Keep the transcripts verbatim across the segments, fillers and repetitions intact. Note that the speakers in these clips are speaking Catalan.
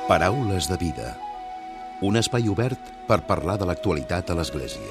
Paraules de vida. Un espai obert per parlar de l'actualitat a l'Església.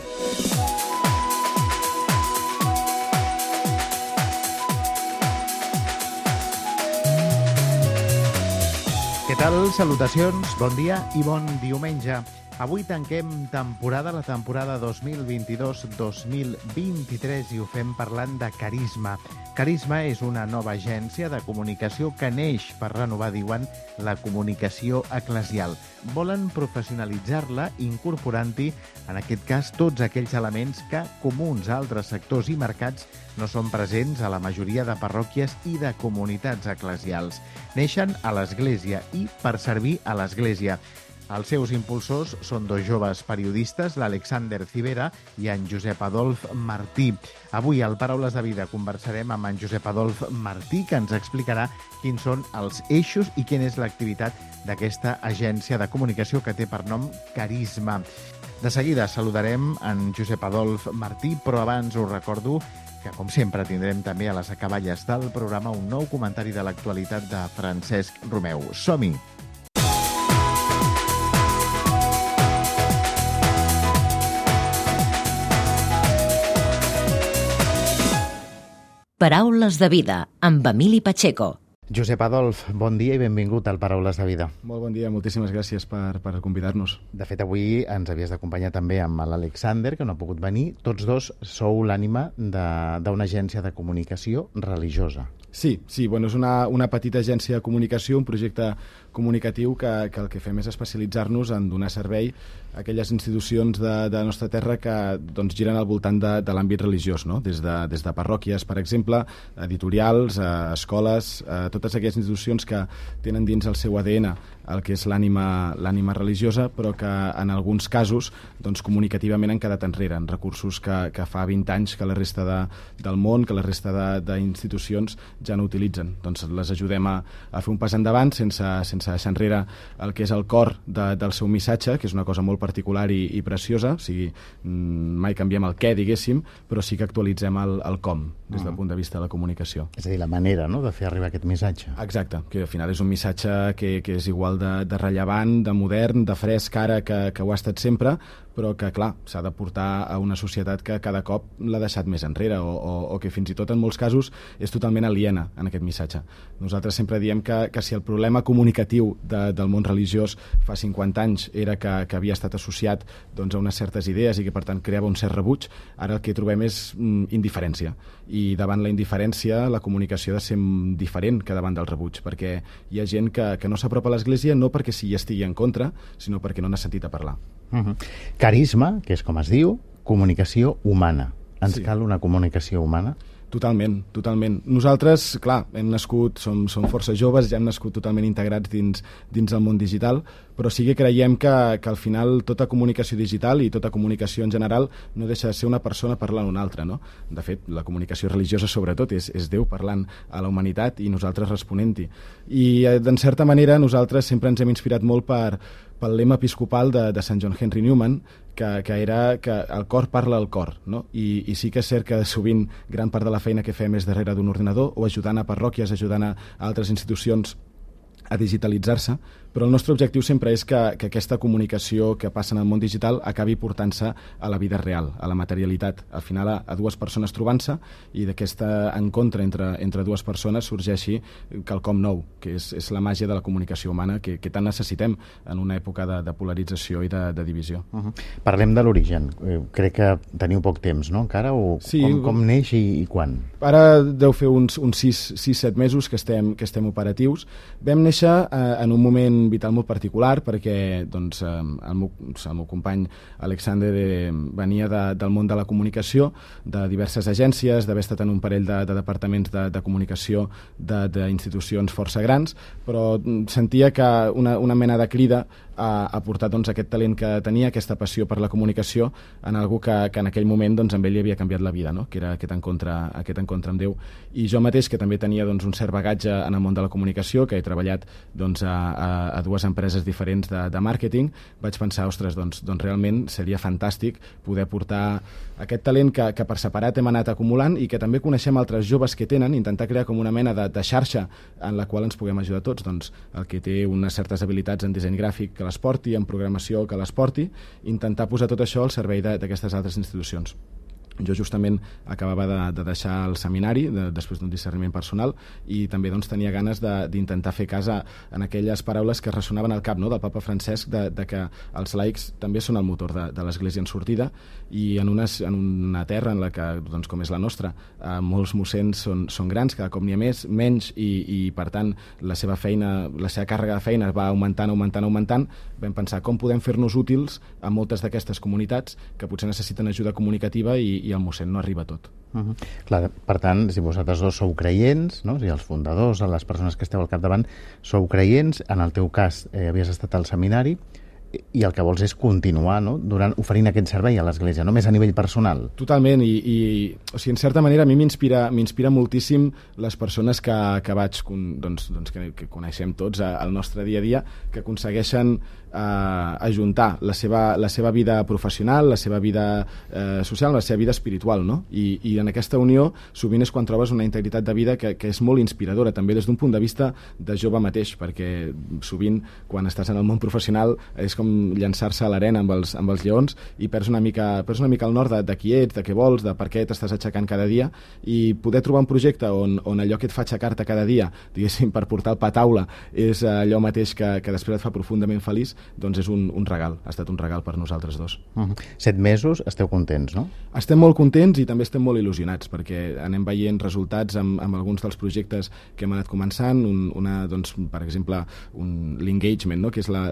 Què tal? Salutacions, bon dia i bon diumenge. Avui tanquem temporada, la temporada dos mil vint-i-dos dos mil vint-i-tres, i ho fem parlant de Carisma. Carisma és una nova agència de comunicació que neix per renovar, diuen, la comunicació eclesial. Volen professionalitzar-la incorporant-hi, en aquest cas, tots aquells elements que, comuns a altres sectors i mercats, no són presents a la majoria de parròquies i de comunitats eclesials. Neixen a l'Església i per servir a l'Església. Els seus impulsors són dos joves periodistes, l'Alexander Civera i en Josep Adolf Martí. Avui, al Paraules de Vida, conversarem amb en Josep Adolf Martí, que ens explicarà quins són els eixos i quina és l'activitat d'aquesta agència de comunicació que té per nom Carisma. De seguida saludarem en Josep Adolf Martí, però abans us recordo que, com sempre, tindrem també a les acaballes del programa un nou comentari de l'actualitat de Francesc Romeu. Som-hi! Paraules de Vida, amb Emili Pacheco. Josep Adolf, bon dia i benvingut al Paraules de Vida. Molt bon dia, moltíssimes gràcies per, per convidar-nos. De fet, avui ens havies d'acompanyar també amb l'Alexander, que no ha pogut venir. Tots dos sou l'ànima d'una agència de comunicació religiosa. Sí, sí, bueno, és una, una petita agència de comunicació, un projecte comunicatiu que, que el que fem és especialitzar-nos en donar servei a aquelles institucions de, de la nostra terra que doncs, giren al voltant de, de l'àmbit religiós, no? Des de, des de parròquies, per exemple, editorials, eh, escoles, eh, totes aquelles institucions que tenen dins el seu A D N el que és l'ànima l'ànima religiosa, però que en alguns casos doncs, comunicativament han quedat enrere, en recursos que, que fa vint anys que la resta de, del món, que la resta d'institucions ja no utilitzen. Doncs les ajudem a, a fer un pas endavant sense, sense deixar enrere el que és el cor de, del seu missatge, que és una cosa molt particular i, i preciosa, o sigui, mai canviem el què, diguéssim, però sí que actualitzem el, el com, des del punt de vista de la comunicació. És a dir, la manera, no?, de fer arribar aquest missatge. Exacte, que al final és un missatge que, que és igual de, de rellevant, de modern, de fresc ara que, que ho ha estat sempre, però que, clar, s'ha de portar a una societat que cada cop l'ha deixat més enrere o, o, o que fins i tot en molts casos és totalment aliena en aquest missatge. Nosaltres sempre diem que, que si el problema comunicatiu de, del món religiós fa cinquanta anys era que, que havia estat associat doncs, a unes certes idees i que per tant creava un cert rebuig, ara el que trobem és mm, indiferència. I davant la indiferència la comunicació ha de ser diferent que davant del rebuig, perquè hi ha gent que, que no s'apropa a l'Església no perquè s'hi estigui en contra, sinó perquè no n'ha sentit a parlar. Uh-huh. Carisma, que és com es diu, comunicació humana. Ens sí. Cal una comunicació humana? Totalment, totalment. Nosaltres, clar, hem nascut, som, som força joves, ja hem nascut totalment integrats dins, dins el món digital, però sí que creiem que, que al final tota comunicació digital i tota comunicació en general no deixa de ser una persona parlant a una altra, no? De fet, la comunicació religiosa sobretot és, és Déu parlant a la humanitat i nosaltres responent-hi. I, d'en certa manera, nosaltres sempre ens hem inspirat molt per pel lema episcopal de, de Sant John Henry Newman, que, que era que el cor parla al cor, no? I, i sí que és cert que sovint gran part de la feina que fem és darrere d'un ordinador o ajudant a parròquies, ajudant a altres institucions a digitalitzar-se, però el nostre objectiu sempre és que, que aquesta comunicació que passa en el món digital acabi portant-se a la vida real, a la materialitat. Al final, a, a dues persones trobant-se i d'aquesta encontre entre, entre dues persones sorgeixi quelcom nou, que és, és la màgia de la comunicació humana que, que tant necessitem en una època de, de polarització i de, de divisió. Uh-huh. Parlem de l'origen. Crec que teniu poc temps, no?, encara? O sí, com, com neix i, i quan? Ara deu fer uns, uns sis set mesos que estem, que estem operatius. Vam néixer eh, en un moment vital molt particular perquè doncs, el, meu, el meu company Alexander eh, venia de, del món de la comunicació, de diverses agències, d'haver estat en un parell de, de departaments de, de comunicació d'institucions força grans, però sentia que una, una mena de crida a, a portar doncs, aquest talent que tenia, aquesta passió per la comunicació, en algú que, que en aquell moment doncs, amb ell li havia canviat la vida, no? Que era aquest encontre, aquest encontre amb Déu. I jo mateix, que també tenia doncs, un cert bagatge en el món de la comunicació, que he treballat doncs, a, a, a dues empreses diferents de, de màrqueting, vaig pensar, ostres, doncs, doncs realment seria fantàstic poder portar aquest talent que, que per separat hem anat acumulant i que també coneixem altres joves que tenen, intentar crear com una mena de, de xarxa en la qual ens puguem ajudar tots. Doncs el que té unes certes habilitats en disseny gràfic que les porti, en programació que les porti, intentar posar tot això al servei d'aquestes altres institucions. Jo justament acabava de, de deixar el seminari de, després d'un discerniment personal i també doncs, tenia ganes d'intentar fer cas en aquelles paraules que ressonaven al cap, no?, del papa Francesc, de, de que els laics també són el motor de, de l'Església en sortida, i en, unes, en una terra en la que, doncs, com és la nostra, eh, molts mossens són, són grans, cada cop n'hi ha més, menys, i, i per tant la seva feina, la seva càrrega de feina va augmentant, augmentant, augmentant. Vam pensar com podem fer-nos útils a moltes d'aquestes comunitats que potser necessiten ajuda comunicativa i, i el mossèn no arriba a tot. Uh-huh. Clar, per tant, si vosaltres dos sou creients, no? Si els fundadors, les persones que esteu al capdavant, sou creients, en el teu cas eh, havies estat al seminari, i el que vols és continuar, no?, durant, oferint aquest servei a l'Església, només a nivell personal. Totalment, i, i o sigui, en certa manera a mi m'inspira m'inspira moltíssim les persones que, que vaig, doncs, doncs que, que coneixem tots al nostre dia a dia, que aconsegueixen eh, ajuntar la seva, la seva vida professional, la seva vida eh, social, la seva vida espiritual, no? I, i en aquesta unió sovint és quan trobes una integritat de vida que, que és molt inspiradora, també des d'un punt de vista de jove mateix, perquè sovint quan estàs en el món professional és com llançar-se a l'arena amb, els, amb els lleons i perds una mica, perds una mica el nord de, de qui ets, de què vols, de per què t'estàs aixecant cada dia, i poder trobar un projecte on, on allò que et fa aixecar-te cada dia, diguéssim, per portar el pa a taula, és allò mateix que, que després et fa profundament feliç, doncs és un, un regal, ha estat un regal per nosaltres dos. Uh-huh. Set mesos, esteu contents, no? Estem molt contents i també estem molt il·lusionats, perquè anem veient resultats amb, amb alguns dels projectes que hem anat començant, un, una, doncs, per exemple, l'engagement, no?, que és la,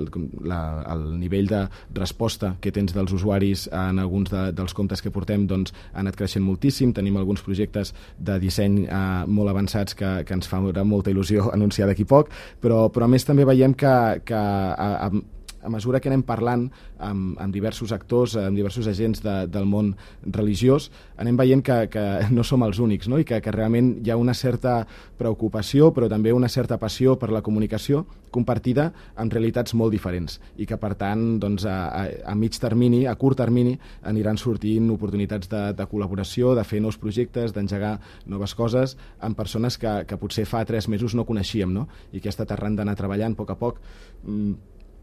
la, el el nivell de resposta que tens dels usuaris en alguns de, dels comptes que portem, doncs, ha anat creixent moltíssim. Tenim alguns projectes de disseny eh, molt avançats que, que ens fa molta il·lusió anunciar d'aquí poc, però, però a més també veiem que, que a, a, a mesura que anem parlant amb, amb diversos actors, amb diversos agents de, del món religiós, anem veient que, que no som els únics, no?, i que, que realment hi ha una certa preocupació, però també una certa passió per la comunicació compartida amb realitats molt diferents, i que per tant doncs, a, a, a mig termini, a curt termini, aniran sortint oportunitats de, de col·laboració, de fer nous projectes, d'engegar noves coses amb persones que, que potser fa tres mesos no coneixíem, no?, i que ha estat arran d'anar treballant a poc a poc mmm,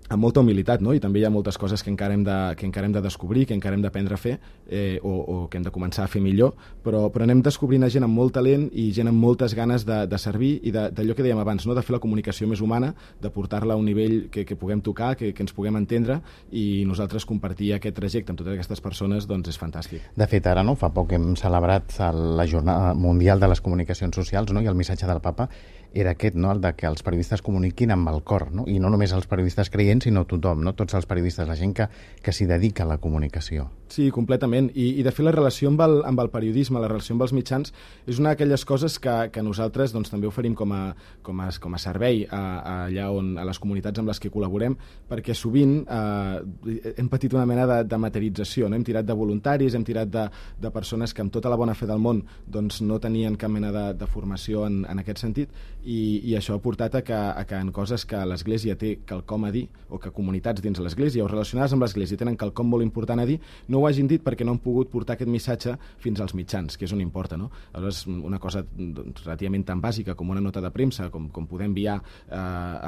amb molta humilitat, no? I també hi ha moltes coses que encara hem de, que encara hem de descobrir, que encara hem d'aprendre a fer, eh, o, o que hem de començar a fer millor, però, però anem descobrint a gent amb molt talent i gent amb moltes ganes de, de servir i d'allò que dèiem abans, no?, de fer la comunicació més humana, de portar-la a un nivell que, que puguem tocar, que, que ens puguem entendre, i nosaltres compartir aquest trajecte amb totes aquestes persones, doncs és fantàstic. De fet, ara, no?, fa poc hem celebrat la Jornada Mundial de les Comunicacions Socials, no?, i el missatge del papa era aquest, no?, el de que els periodistes comuniquin amb el cor, no?, i no només els periodistes creients, sinó tothom, no?, tots els periodistes, la gent que, que s'hi dedica a la comunicació. Sí, completament, I, i de fet la relació amb el, amb el periodisme, la relació amb els mitjans, és una d'aquelles coses que, que nosaltres doncs, també oferim com a, com a, com a servei a, a allà on, a les comunitats amb les que col·laborem, perquè sovint eh, hem patit una mena de, de materització, no? Hem tirat de voluntaris, hem tirat de, de persones que amb tota la bona fe del món doncs, no tenien cap mena de, de formació en, en aquest sentit, i, i això ha portat a que, a que en coses que l'Església té quelcom a dir, o que comunitats dins l'Església o relacionades amb l'Església tenen quelcom molt important a dir, no ho hagin dit perquè no han pogut portar aquest missatge fins als mitjans, que és on importa, no? Aleshores, una cosa doncs, relativament tan bàsica com una nota de premsa, com, com poder enviar eh,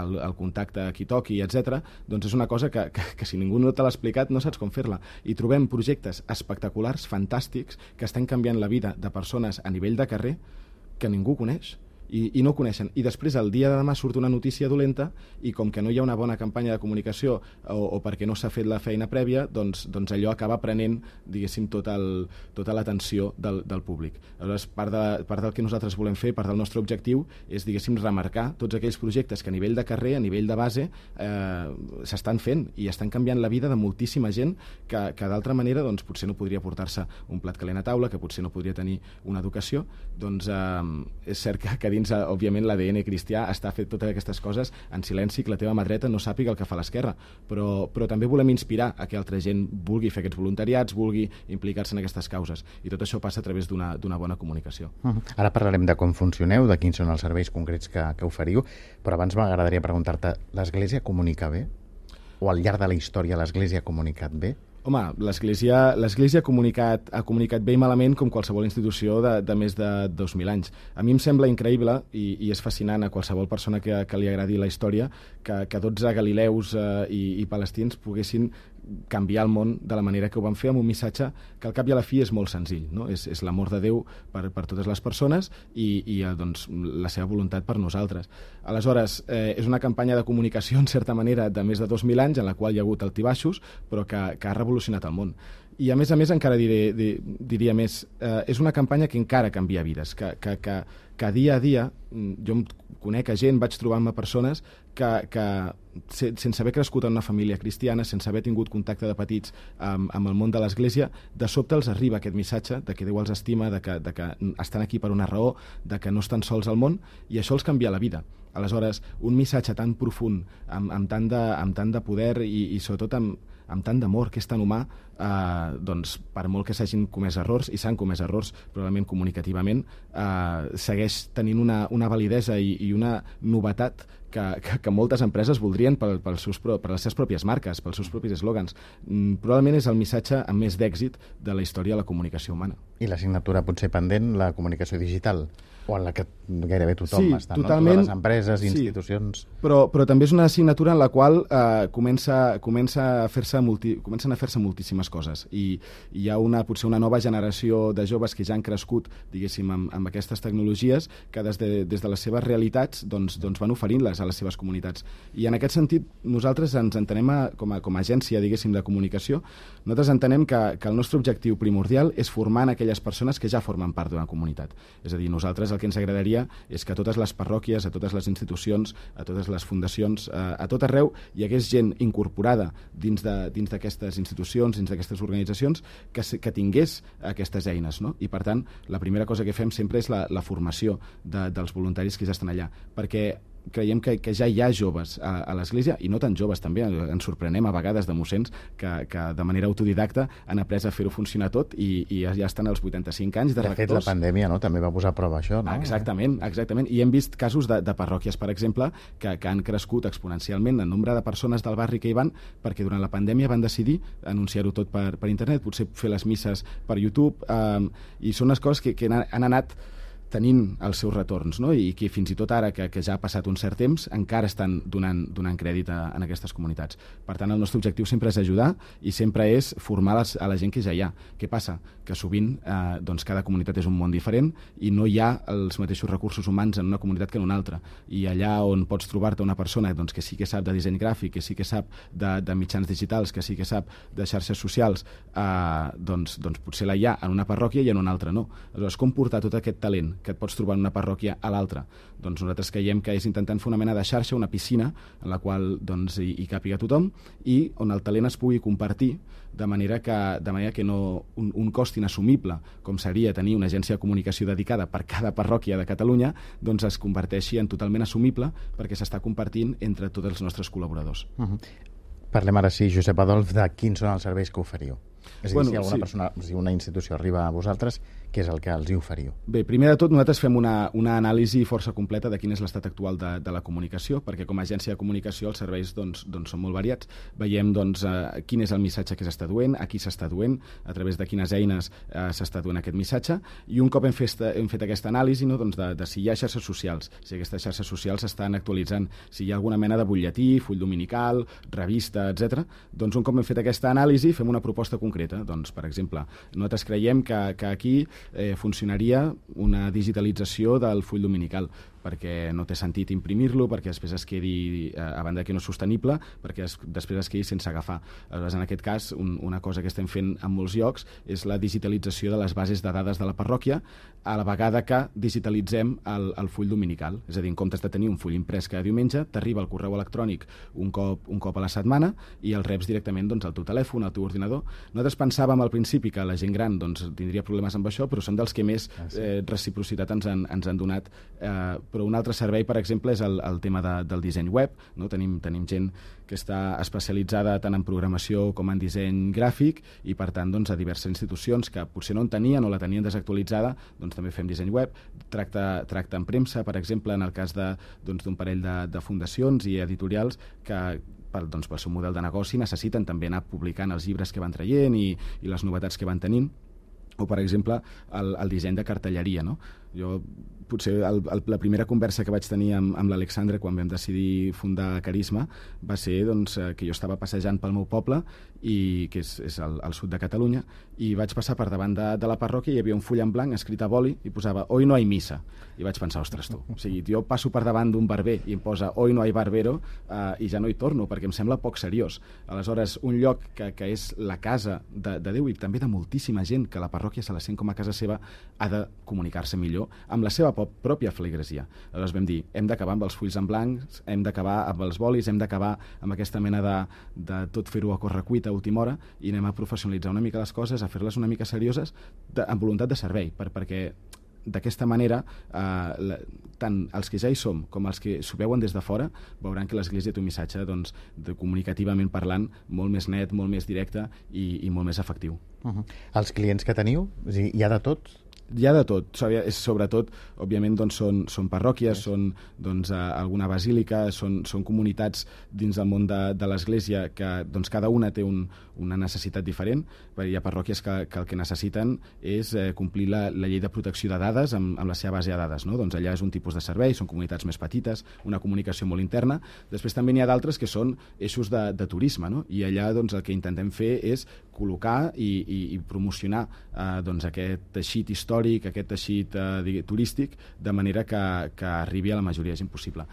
el, el contacte a qui toqui, etcètera, doncs és una cosa que, que, que si ningú no te l'ha explicat no saps com fer-la. I trobem projectes espectaculars, fantàstics, que estan canviant la vida de persones a nivell de carrer que ningú coneix. I, i no ho coneixen. I després, el dia de demà, surt una notícia dolenta i com que no hi ha una bona campanya de comunicació o, o perquè no s'ha fet la feina prèvia, doncs, doncs allò acaba prenent, diguéssim, tot el, tota l'atenció del, del públic. Aleshores, part, de, part del que nosaltres volem fer, part del nostre objectiu, és, diguéssim, remarcar tots aquells projectes que a nivell de carrer, a nivell de base, eh, s'estan fent i estan canviant la vida de moltíssima gent que, que d'altra manera, doncs, potser no podria portar-se un plat calent a taula, que potser no podria tenir una educació. Doncs eh, és cert que, que dins, òbviament, l'A D N cristià està fet totes aquestes coses en silenci, que la teva mà dreta no sàpiga el que fa l'esquerra, però, però també volem inspirar a que altra gent vulgui fer aquests voluntariats, vulgui implicar-se en aquestes causes, i tot això passa a través d'una bona comunicació. Uh-huh. Ara parlarem de com funcioneu, de quins són els serveis concrets que, que oferiu, però abans m'agradaria preguntar-te, l'Església comunica bé? O al llarg de la història l'Església ha comunicat bé? Home, l'Església l'Església ha comunicat, ha comunicat bé i malament com qualsevol institució de, de més de dos mil anys. A mi em sembla increïble i, i és fascinant a qualsevol persona que, que li agradi la història que, que dotze galileus eh, i, i palestins poguessin canviar el món de la manera que ho van fer amb un missatge que al cap i a la fi és molt senzill, no? És, és l'amor de Déu per, per totes les persones i, i doncs, la seva voluntat per nosaltres. Aleshores, eh, és una campanya de comunicació, en certa manera, de més de dos mil anys, en la qual hi ha hagut altibaixos, però que, que ha revolucionat el món. I, a més a més, encara diré, dir, diria més, eh, és una campanya que encara canvia vides, que, que, que, que dia a dia, jo em conec a gent, vaig trobant-me persones que, que sense haver crescut en una família cristiana, sense haver tingut contacte de petits amb, amb el món de l'Església, de sobte els arriba aquest missatge de que Déu els estima, de que, de que estan aquí per una raó, de que no estan sols al món, i això els canvia la vida. Aleshores, un missatge tan profund, amb, amb, tant, de, amb tant de poder i, i sobretot amb, amb tant d'amor, que és tan humà, eh, doncs, per molt que s'hagin comès errors, i s'han comès errors, probablement comunicativament, eh, segueix tenint una, una validesa i, i una novetat que, que, que moltes empreses voldrien per, per, seus, per les seves pròpies marques, pels seus propis eslògans. Mm, probablement és el missatge amb més d'èxit de la història de la comunicació humana. I l'assignatura potser pendent, la comunicació digital, o en la que gairebé tothom sí, està, totalment, no? Totes les empreses, sí, institucions... Però, però també és una assignatura en la qual eh, comença, comença a fer-se multi, comencen a fer-se moltíssimes coses, i, i hi ha una, potser una nova generació de joves que ja han crescut, diguéssim, amb, amb aquestes tecnologies, que des de, des de les seves realitats doncs, doncs van oferint-les a les seves comunitats. I en aquest sentit, nosaltres ens entenem a, com, a, com a agència, diguéssim, de comunicació, nosaltres entenem que, que el nostre objectiu primordial és formar en aquelles persones que ja formen part d'una comunitat. És a dir, nosaltres el que ens agradaria és que a totes les parròquies, a totes les institucions, a totes les fundacions, a, a tot arreu hi hagués gent incorporada dins de, dins d'aquestes institucions, dins d'aquestes organitzacions, que, que tingués aquestes eines, no? I per tant, la primera cosa que fem sempre és la, la formació de, dels voluntaris que ja estan allà, perquè creiem que, que ja hi ha joves a, a l'Església, i no tan joves també, ens sorprenem a vegades de mossens que, que de manera autodidacta han après a fer-ho funcionar tot i, i ja estan als vuitanta-cinc anys de, de rectors. De fet, la pandèmia, no?, també va posar a prova això, no? Exactament, exactament. I hem vist casos de, de parròquies, per exemple, que, que han crescut exponencialment el nombre de persones del barri que hi van, perquè durant la pandèmia van decidir anunciar-ho tot per, per internet, potser fer les misses per YouTube, eh, i són les coses que, que han anat tenint els seus retorns, no? I que fins i tot ara, que, que ja ha passat un cert temps, encara estan donant, donant crèdit a, a aquestes comunitats. Per tant, el nostre objectiu sempre és ajudar i sempre és formar les, a la gent que ja hi ha. Què passa? Que sovint eh, doncs cada comunitat és un món diferent i no hi ha els mateixos recursos humans en una comunitat que en una altra. I allà on pots trobar-te una persona doncs, que sí que sap de disseny gràfic, que sí que sap de, de mitjans digitals, que sí que sap de xarxes socials, eh, doncs, doncs potser la hi ha en una parròquia i en una altra no. Aleshores, com portar tot aquest talent que et pots trobar en una parròquia a l'altra? Doncs nosaltres creiem que és intentant fer una mena de xarxa, una piscina, en la qual doncs, hi, hi càpiga tothom i on el talent es pugui compartir de manera que, de manera que no, un, un cost inassumible, com seria tenir una agència de comunicació dedicada per cada parròquia de Catalunya, doncs es converteixi en totalment assumible perquè s'està compartint entre tots els nostres col·laboradors. Uh-huh. Parlem ara sí, Josep Adolf, de quins són els serveis que oferiu. És a dir, bueno, si alguna sí. persona, si una institució arriba a vosaltres, què és el que els hi oferiu? Bé, primer de tot, nosaltres fem una, una anàlisi força completa de quin és l'estat actual de, de la comunicació, perquè com a agència de comunicació els serveis doncs, doncs, són molt variats. Veiem doncs, eh, quin és el missatge que s'està duent, a qui s'està duent, a través de quines eines eh, s'està duent aquest missatge, i un cop hem fet, hem fet aquesta anàlisi, no, doncs de, de si hi ha xarxes socials, si aquestes xarxes socials s'estan actualitzant, si hi ha alguna mena de butlletí, full dominical, revista, etcètera, doncs un cop hem fet aquesta anàlisi fem una proposta concreta. Doncs, per exemple, nosaltres creiem que, que aquí eh, funcionaria una digitalització del full dominical. perquè no té sentit imprimir-lo, perquè després es quedi, eh, a banda que no és sostenible, perquè es, després es quedi sense agafar. Aleshores, en aquest cas, un, una cosa que estem fent en molts llocs és la digitalització de les bases de dades de la parròquia, a la vegada que digitalitzem el, el full dominical. És a dir, en comptes de tenir un full imprès cada diumenge, t'arriba el correu electrònic un cop, un cop a la setmana i el reps directament doncs, al teu telèfon, al teu ordinador. Nosaltres pensàvem al principi que la gent gran doncs, tindria problemes amb això, però són dels que més eh, reciprocitat ens han, ens han donat. Eh, però un altre servei, per exemple, és el, el tema de, del disseny web. No? Tenim, tenim gent que està especialitzada tant en programació com en disseny gràfic i, per tant, doncs, a diverses institucions que potser no en tenien o la tenien desactualitzada, doncs també fem disseny web. Tracta, tracta en premsa, per exemple, en el cas de, doncs, d'un parell de, de fundacions i editorials que per, doncs, pel seu model de negoci necessiten també anar publicant els llibres que van traient i, i les novetats que van tenint, o, per exemple, el, el disseny de cartelleria. No? Jo, potser el, el, la primera conversa que vaig tenir amb, amb l'Alexandre quan vam decidir fundar Carisma va ser doncs, que jo estava passejant pel meu poble, i que és, és al, al sud de Catalunya, i vaig passar per davant de, de la parròquia i hi havia un full en blanc escrit a boli i posava «Hoy no hay misa». I vaig pensar, ostres, tu, o sigui, jo passo per davant d'un barber i em posa «Hoy no hay barbero» eh, i ja no hi torno, perquè em sembla poc seriós. Aleshores, un lloc que, que és la casa de, de Déu i també de moltíssima gent que la parròquia se la sent com a casa seva, ha de comunicar-se millor amb la seva pròpia feligresia. Aleshores vam dir, hem d'acabar amb els fulls en blancs, hem d'acabar amb els bolis, hem d'acabar amb aquesta mena de, de tot fer-ho a correcuita a última hora i anem a professionalitzar una mica les coses, a fer-les una mica serioses, de, amb voluntat de servei, per, perquè d'aquesta manera, eh, la, tant els que ja hi som com els que s'ho veuen des de fora veuran que l'Església té un missatge doncs, de, comunicativament parlant, molt més net, molt més directe i, i molt més efectiu. Uh-huh. Els clients que teniu, hi ha de tot? Hi ha de tot, sobretot, òbviament, doncs, són, són parròquies, són doncs, alguna basílica, són, són comunitats dins del món de, de l'Església que doncs, cada una té un, una necessitat diferent. Hi ha parròquies que, que el que necessiten és eh, complir la, la llei de protecció de dades amb, amb la seva base de dades. No? Doncs allà és un tipus de servei, són comunitats més petites, una comunicació molt interna. Després també n'hi ha d'altres que són eixos de, de turisme, no? I allà doncs, el que intentem fer és col·locar i, i, i promocionar eh, doncs, aquest teixit històric, aquest teixit eh, turístic, de manera que, que arribi a la majoria de gent possible.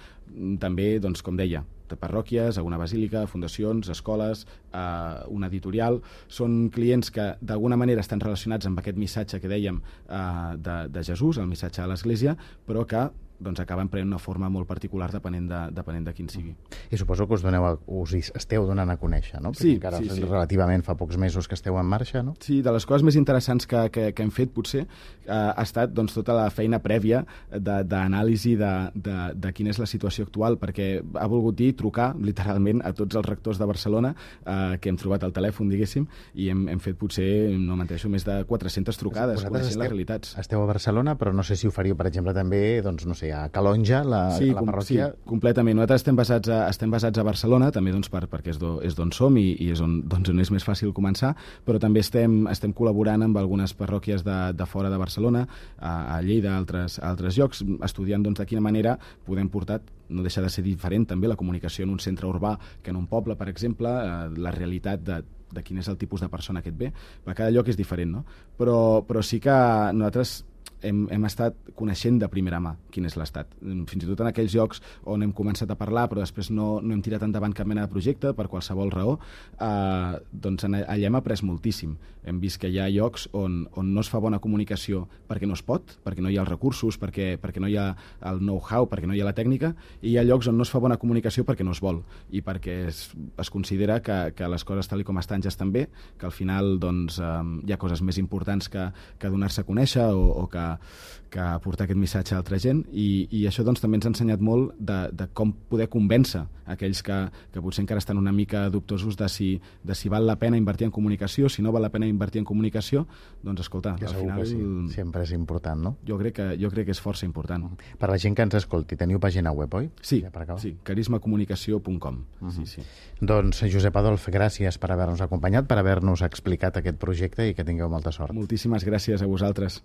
També, doncs, com deia, de parròquies, alguna basílica, fundacions, escoles, eh, una editorial. Són clients que d'alguna manera estan relacionats amb aquest missatge que dèiem eh, de, de Jesús, el missatge de l'Església, però que doncs acaben prenent una forma molt particular depenent de, depenent de quin sigui. I suposo que us, doneu a, us esteu donant a conèixer, no? Perquè sí, encara sí, sí. Relativament fa pocs mesos que esteu en marxa, no? Sí, de les coses més interessants que, que, que hem fet, potser, eh, ha estat doncs, tota la feina prèvia d'anàlisi de, de, de, de quina és la situació actual, perquè ha volgut dir trucar, literalment, a tots els rectors de Barcelona eh, que hem trobat al telèfon, diguéssim, i hem, hem fet potser, no menteixo, més de quatre-centes trucades, coneixent les realitats. Esteu a Barcelona, però no sé si ho faríeu, per exemple, també, doncs, no sé, a Calonja, la, sí, la parròquia. Sí, completament. Nosaltres estem basats a, estem basats a Barcelona, també doncs, per, perquè és d'on som i, i és on, doncs, on és més fàcil començar, però també estem, estem col·laborant amb algunes parròquies de, de fora de Barcelona, a, a Lleida, a altres, a altres llocs, estudiant doncs, de quina manera podem portar, no deixa de ser diferent també la comunicació en un centre urbà que en un poble, per exemple, eh, la realitat de de quin és el tipus de persona que et ve. Cada lloc és diferent, no? Però, però sí que nosaltres hem, hem estat coneixent de primera mà quin és l'estat. Fins i tot en aquells llocs on hem començat a parlar però després no, no hem tirat endavant cap mena de projecte per qualsevol raó, eh, doncs allà hem après moltíssim. Hem vist que hi ha llocs on, on no es fa bona comunicació perquè no es pot, perquè no hi ha els recursos, perquè, perquè no hi ha el know-how, perquè no hi ha la tècnica, i hi ha llocs on no es fa bona comunicació perquè no es vol i perquè es, es considera que, que les coses tal com estan ja estan bé, que al final doncs, eh, hi ha coses més importants que, que donar-se a conèixer o, o que, que portar aquest missatge a altra gent, i, i això doncs, també ens ha ensenyat molt de, de com poder convèncer aquells que, que potser encara estan una mica dubtosos de si, de si val la pena invertir en comunicació, si no val la pena invertir en comunicació, doncs escolta, que al final... Sí. Sempre és important, no? Jo crec, que, jo crec que és força important. Per la gent que ens escolti, teniu pàgina web, oi? Sí, ja sí, carisma comunicació punt com. Uh -huh. sí, sí. Doncs, Josep Adolf, gràcies per haver-nos acompanyat, per haver-nos explicat aquest projecte i que tingueu molta sort. Moltíssimes gràcies a vosaltres.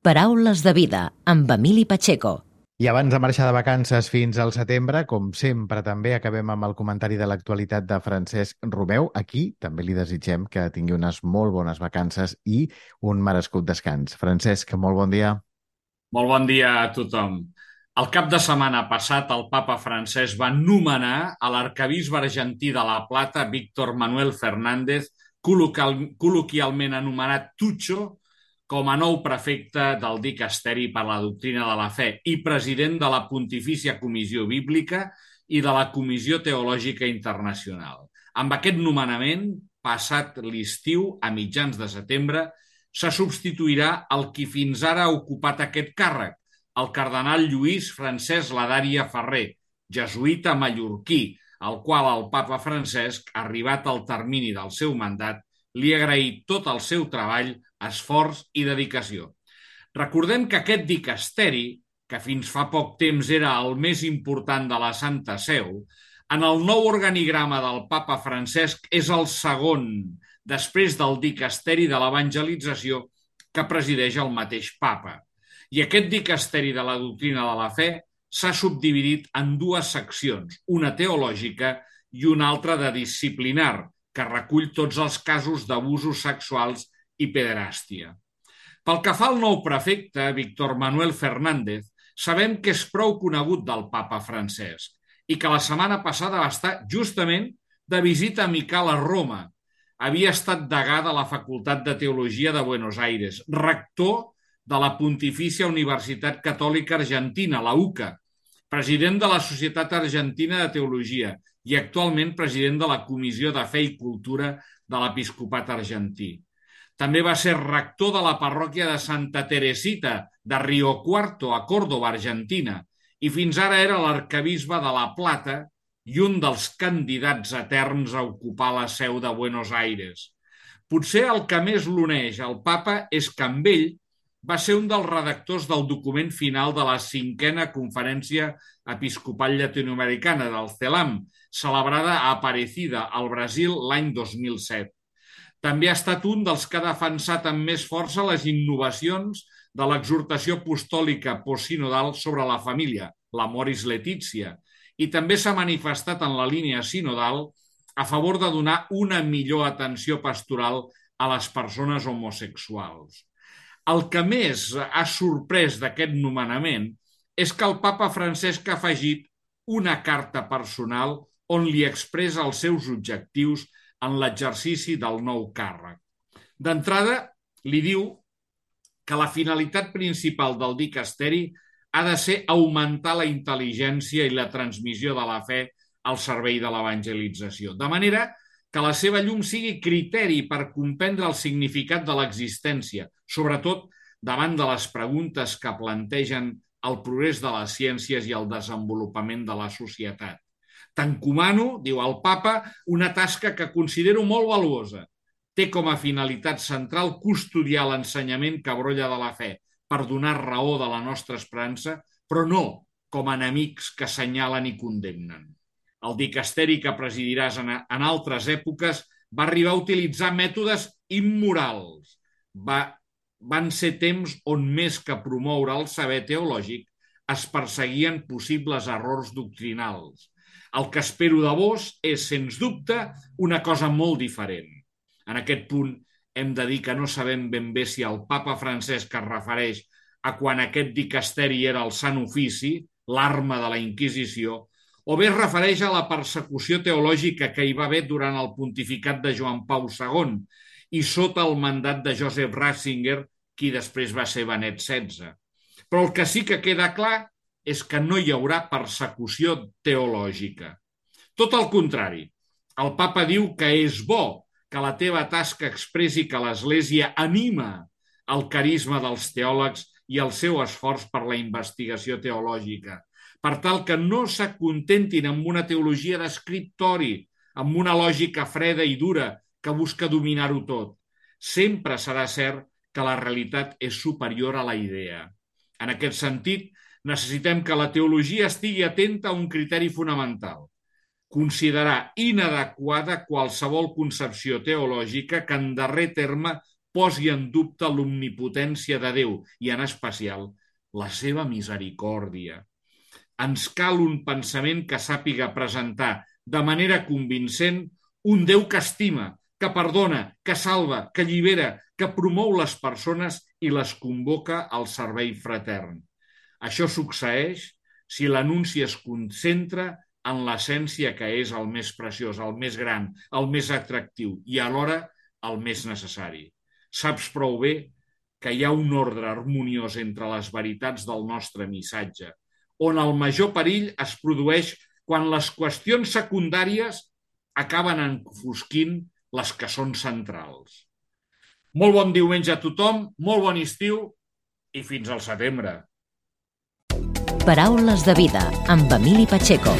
Paraules de vida, amb Emili Pacheco. I abans de marxar de vacances fins al setembre, com sempre, també acabem amb el comentari de l'actualitat de Francesc Romeu. Aquí també li desitgem que tingui unes molt bones vacances i un merescut descans. Francesc, molt bon dia. Molt bon dia a tothom. El cap de setmana passat, el papa francès va nomenar a l'arquebisbe argentí de La Plata, Víctor Manuel Fernández, col·loquialment anomenat Tucho, com a nou prefecte del Dicasteri per la Doctrina de la Fe i president de la Pontifícia Comissió Bíblica i de la Comissió Teològica Internacional. Amb aquest nomenament, passat l'estiu, a mitjans de setembre, se substituirà el qui fins ara ha ocupat aquest càrrec, el cardenal Lluís Francesc Ladaria Ferrer, jesuïta mallorquí, al qual el papa Francesc, arribat al termini del seu mandat, li ha agraït tot el seu treball, esforç i dedicació. Recordem que aquest dicasteri, que fins fa poc temps era el més important de la Santa Seu, en el nou organigrama del papa Francesc és el segon, després del dicasteri de l'evangelització que presideix el mateix papa. I aquest dicasteri de la doctrina de la fe s'ha subdividit en dues seccions, una teològica i una altra de disciplinar, que recull tots els casos d'abusos sexuals i pederàstia. Pel que fa al nou prefecte, Víctor Manuel Fernández, sabem que és prou conegut del papa Francesc i que la setmana passada va estar justament de visita amical a Roma. Havia estat degà de la Facultat de Teologia de Buenos Aires, rector de la Pontifícia Universitat Catòlica Argentina, la U C A, president de la Societat Argentina de Teologia i actualment president de la Comissió de Fe i Cultura de l'Episcopat Argentí. També va ser rector de la parròquia de Santa Teresita de Río Cuarto, a Córdoba, Argentina, i fins ara era l'arquebisbe de La Plata i un dels candidats eterns a ocupar la seu de Buenos Aires. Potser el que més l'uneix al papa és que amb ell va ser un dels redactors del document final de la cinquena Conferència Episcopal Llatinoamericana del CELAM, celebrada a Aparecida, al Brasil, l'any dos mil set. També ha estat un dels que ha defensat amb més força les innovacions de l'exhortació apostòlica postsinodal sobre la família, l'Amoris Laetitia, i també s'ha manifestat en la línia sinodal a favor de donar una millor atenció pastoral a les persones homosexuals. El que més ha sorprès d'aquest nomenament és que el papa Francesc ha afegit una carta personal on li expressa els seus objectius en l'exercici del nou càrrec. D'entrada, li diu que la finalitat principal del dicasteri ha de ser augmentar la intel·ligència i la transmissió de la fe al servei de l'evangelització, de manera que la seva llum sigui criteri per comprendre el significat de l'existència, sobretot davant de les preguntes que plantegen el progrés de les ciències i el desenvolupament de la societat. T'encomano, diu el papa, una tasca que considero molt valuosa. Té com a finalitat central custodiar l'ensenyament que brolla de la fe per donar raó de la nostra esperança, però no com a enemics que assenyalen i condemnen. El dicasteri que presidiràs en, en altres èpoques va arribar a utilitzar mètodes immorals. Va, van ser temps on més que promoure el saber teològic es perseguien possibles errors doctrinals. El que espero de vos és, sens dubte, una cosa molt diferent. En aquest punt hem de dir que no sabem ben bé si el papa Francesc es refereix a quan aquest dicasteri era el Sant Ofici, l'arma de la Inquisició, o bé es refereix a la persecució teològica que hi va haver durant el pontificat de Joan Pau segon i sota el mandat de Joseph Ratzinger, qui després va ser Benet setze. Però el que sí que queda clar és que no hi haurà persecució teològica. Tot el contrari, el papa diu que és bo que la teva tasca expressi que l'Església anima el carisma dels teòlegs i el seu esforç per la investigació teològica, per tal que no s'acontentin amb una teologia d'escriptori, amb una lògica freda i dura que busca dominar-ho tot. Sempre serà cert que la realitat és superior a la idea. En aquest sentit, necessitem que la teologia estigui atenta a un criteri fonamental: considerar inadequada qualsevol concepció teològica que en darrer terme posi en dubte l'omnipotència de Déu i, en especial, la seva misericòrdia. Ens cal un pensament que sàpiga presentar de manera convincent un Déu que estima, que perdona, que salva, que allibera, que promou les persones i les convoca al servei fratern. Això succeeix si l'anunci es concentra en l'essència que és el més preciós, el més gran, el més atractiu i alhora el més necessari. Saps prou bé que hi ha un ordre harmoniós entre les veritats del nostre missatge, on el major perill es produeix quan les qüestions secundàries acaben enfosquint les que són centrals. Molt bon diumenge a tothom, molt bon estiu i fins al setembre. Paraules de vida, amb Emili Pacheco.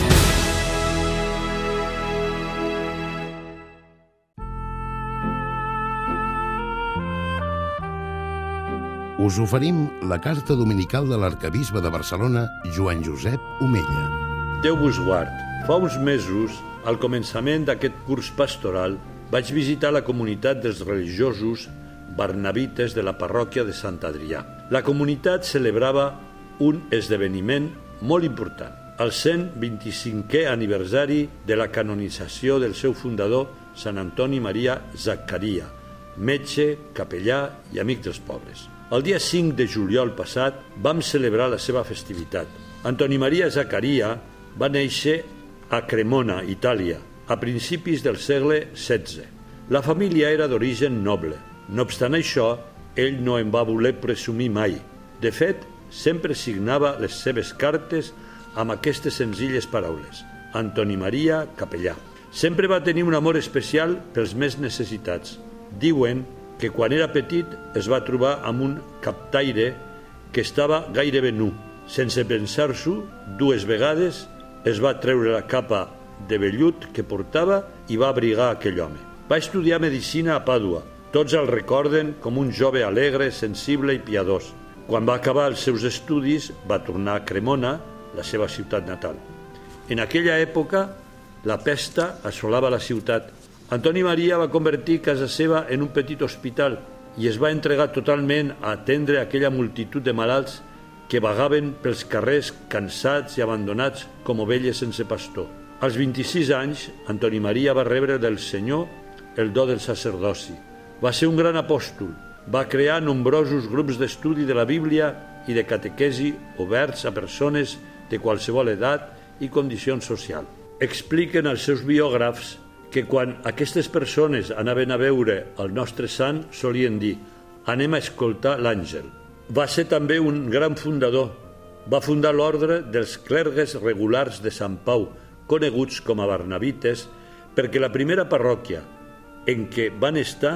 Us oferim la carta dominical de l'arquebisbe de Barcelona, Joan Josep Omella. Déu vos guard. Fa uns mesos, al començament d'aquest curs pastoral, vaig visitar la comunitat dels religiosos barnabites de la parròquia de Sant Adrià. La comunitat celebrava un esdeveniment molt important, el cent vint-i-cinquè aniversari de la canonització del seu fundador, Sant Antoni Maria Zaccaria, metge, capellà i amic dels pobres. El dia cinc de juliol passat vam celebrar la seva festivitat. Antoni Maria Zaccaria va néixer a Cremona, Itàlia, a principis del segle setze. La família era d'origen noble. No obstant això, ell no en va voler presumir mai. De fet, sempre signava les seves cartes amb aquestes senzilles paraules. Antoni Maria, capellà. Sempre va tenir un amor especial pels més necessitats. Diuen que quan era petit es va trobar amb un captaire que estava gairebé nu. Sense pensar-s'ho, dues vegades es va treure la capa de vellut que portava i va abrigar aquell home. Va estudiar medicina a Pàdua. Tots el recorden com un jove alegre, sensible i piadós. Quan va acabar els seus estudis, va tornar a Cremona, la seva ciutat natal. En aquella època, la pesta assolava la ciutat. Antoni Maria va convertir casa seva en un petit hospital i es va entregar totalment a atendre aquella multitud de malalts que vagaven pels carrers cansats i abandonats com ovelles sense pastor. Als vint-i-sis anys, Antoni Maria va rebre del Senyor el do del sacerdoci. Va ser un gran apòstol. Va crear nombrosos grups d'estudi de la Bíblia i de catequesi oberts a persones de qualsevol edat i condició social. Expliquen els seus biògrafs que quan aquestes persones anaven a veure el nostre sant solien dir «anem a escoltar l'àngel». Va ser també un gran fundador. Va fundar l'ordre dels clergues regulars de Sant Pau, coneguts com a barnabites, perquè la primera parròquia en què van estar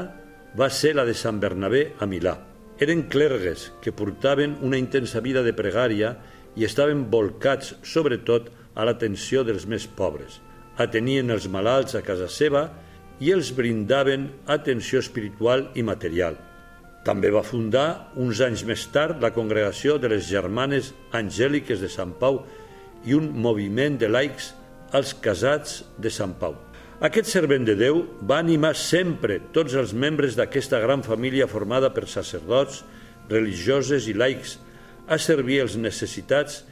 va ser la de Sant Bernabé a Milà. Eren clergues que portaven una intensa vida de pregària i estaven volcats sobretot a l'atenció dels més pobres. Atenien els malalts a casa seva i els brindaven atenció espiritual i material. També va fundar, uns anys més tard, la congregació de les Germanes Angèliques de Sant Pau i un moviment de laics als casats de Sant Pau. Aquest servent de Déu va animar sempre tots els membres d'aquesta gran família formada per sacerdots, religioses i laics a servir els necessitats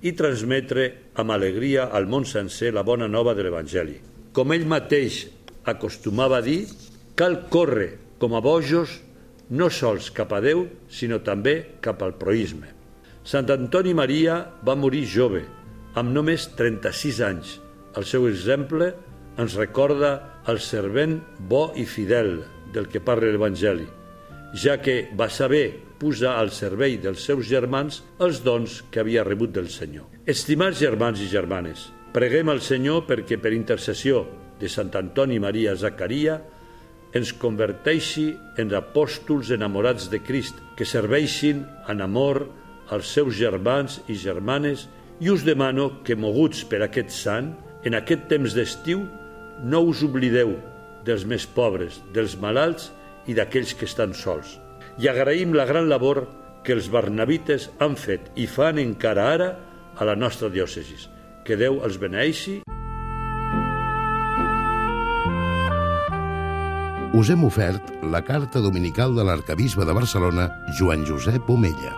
i transmetre amb alegria al món sencer la bona nova de l'Evangeli. Com ell mateix acostumava a dir, cal córrer com a bojos no sols cap a Déu, sinó també cap al proïsme. Sant Antoni Maria va morir jove, amb només trenta-sis anys. El seu exemple ens recorda el servent bo i fidel del que parla l'Evangeli, ja que va saber posar al servei dels seus germans els dons que havia rebut del Senyor. Estimats germans i germanes, preguem al Senyor perquè per intercessió de Sant Antoni Maria Zaccaria ens converteixi en apòstols enamorats de Crist, que serveixin en amor als seus germans i germanes, i us demano que, moguts per aquest sant, en aquest temps d'estiu, no us oblideu dels més pobres, dels malalts i d'aquells que estan sols. I agraïm la gran labor que els barnabites han fet i fan encara ara a la nostra diòcesi. Que Déu els beneeixi. Us hem ofert la carta dominical de l'arquebisbe de Barcelona, Joan Josep Omella.